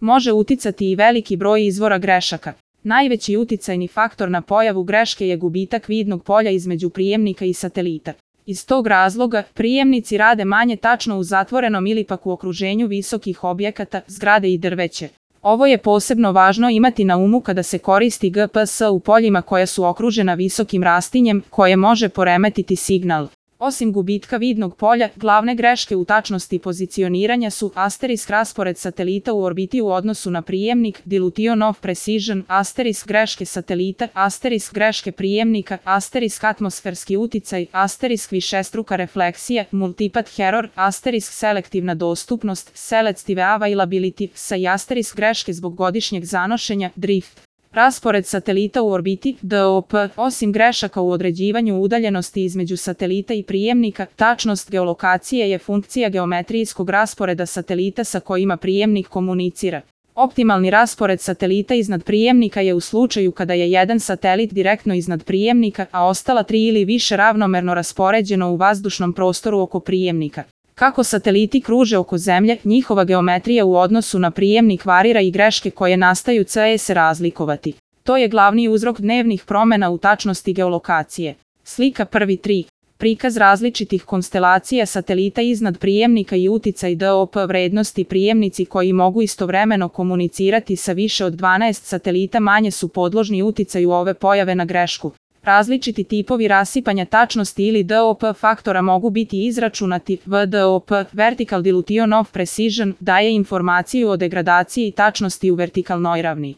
može uticati i veliki broj izvora grešaka. Najveći uticajni faktor na pojavu greške je gubitak vidnog polja između prijemnika i satelita. Iz tog razloga, prijemnici rade manje tačno u zatvorenom ili pak u okruženju visokih objekata, zgrade i drveće. Ovo je posebno važno imati na umu kada se koristi GPS u poljima koja su okružena visokim rastinjem, koje može poremetiti signal. Osim gubitka vidnog polja, glavne greške u tačnosti pozicioniranja su raspored satelita u orbiti u odnosu na prijemnik, dilution of precision, greške satelita, greške prijemnika, atmosferski uticaj, višestruka refleksija, multipath error, selektivna dostupnost, selective availability, greške zbog godišnjeg zanošenja, drift. Raspored satelita u orbiti, DOP, osim grešaka u određivanju udaljenosti između satelita i prijemnika, tačnost geolokacije je funkcija geometrijskog rasporeda satelita sa kojima prijemnik komunicira. Optimalni raspored satelita iznad prijemnika je u slučaju kada je jedan satelit direktno iznad prijemnika, a ostala 3 ili više ravnomerno raspoređeno u vazdušnom prostoru oko prijemnika. Kako sateliti kruže oko Zemlje, njihova geometrija u odnosu na prijemnik varira i greške koje nastaju se razlikovati. To je glavni uzrok dnevnih promjena u tačnosti geolokacije. Slika 1.3. Prikaz različitih konstelacija satelita iznad prijemnika i uticaj DOP vrednosti. Prijemnici koji mogu istovremeno komunicirati sa više od 12 satelita manje su podložni uticaju ove pojave na grešku. Različiti tipovi rasipanja tačnosti ili DOP faktora mogu biti izračunati. VDOP, Vertical Dilution of Precision, daje informaciju o degradaciji tačnosti u vertikalnoj ravni.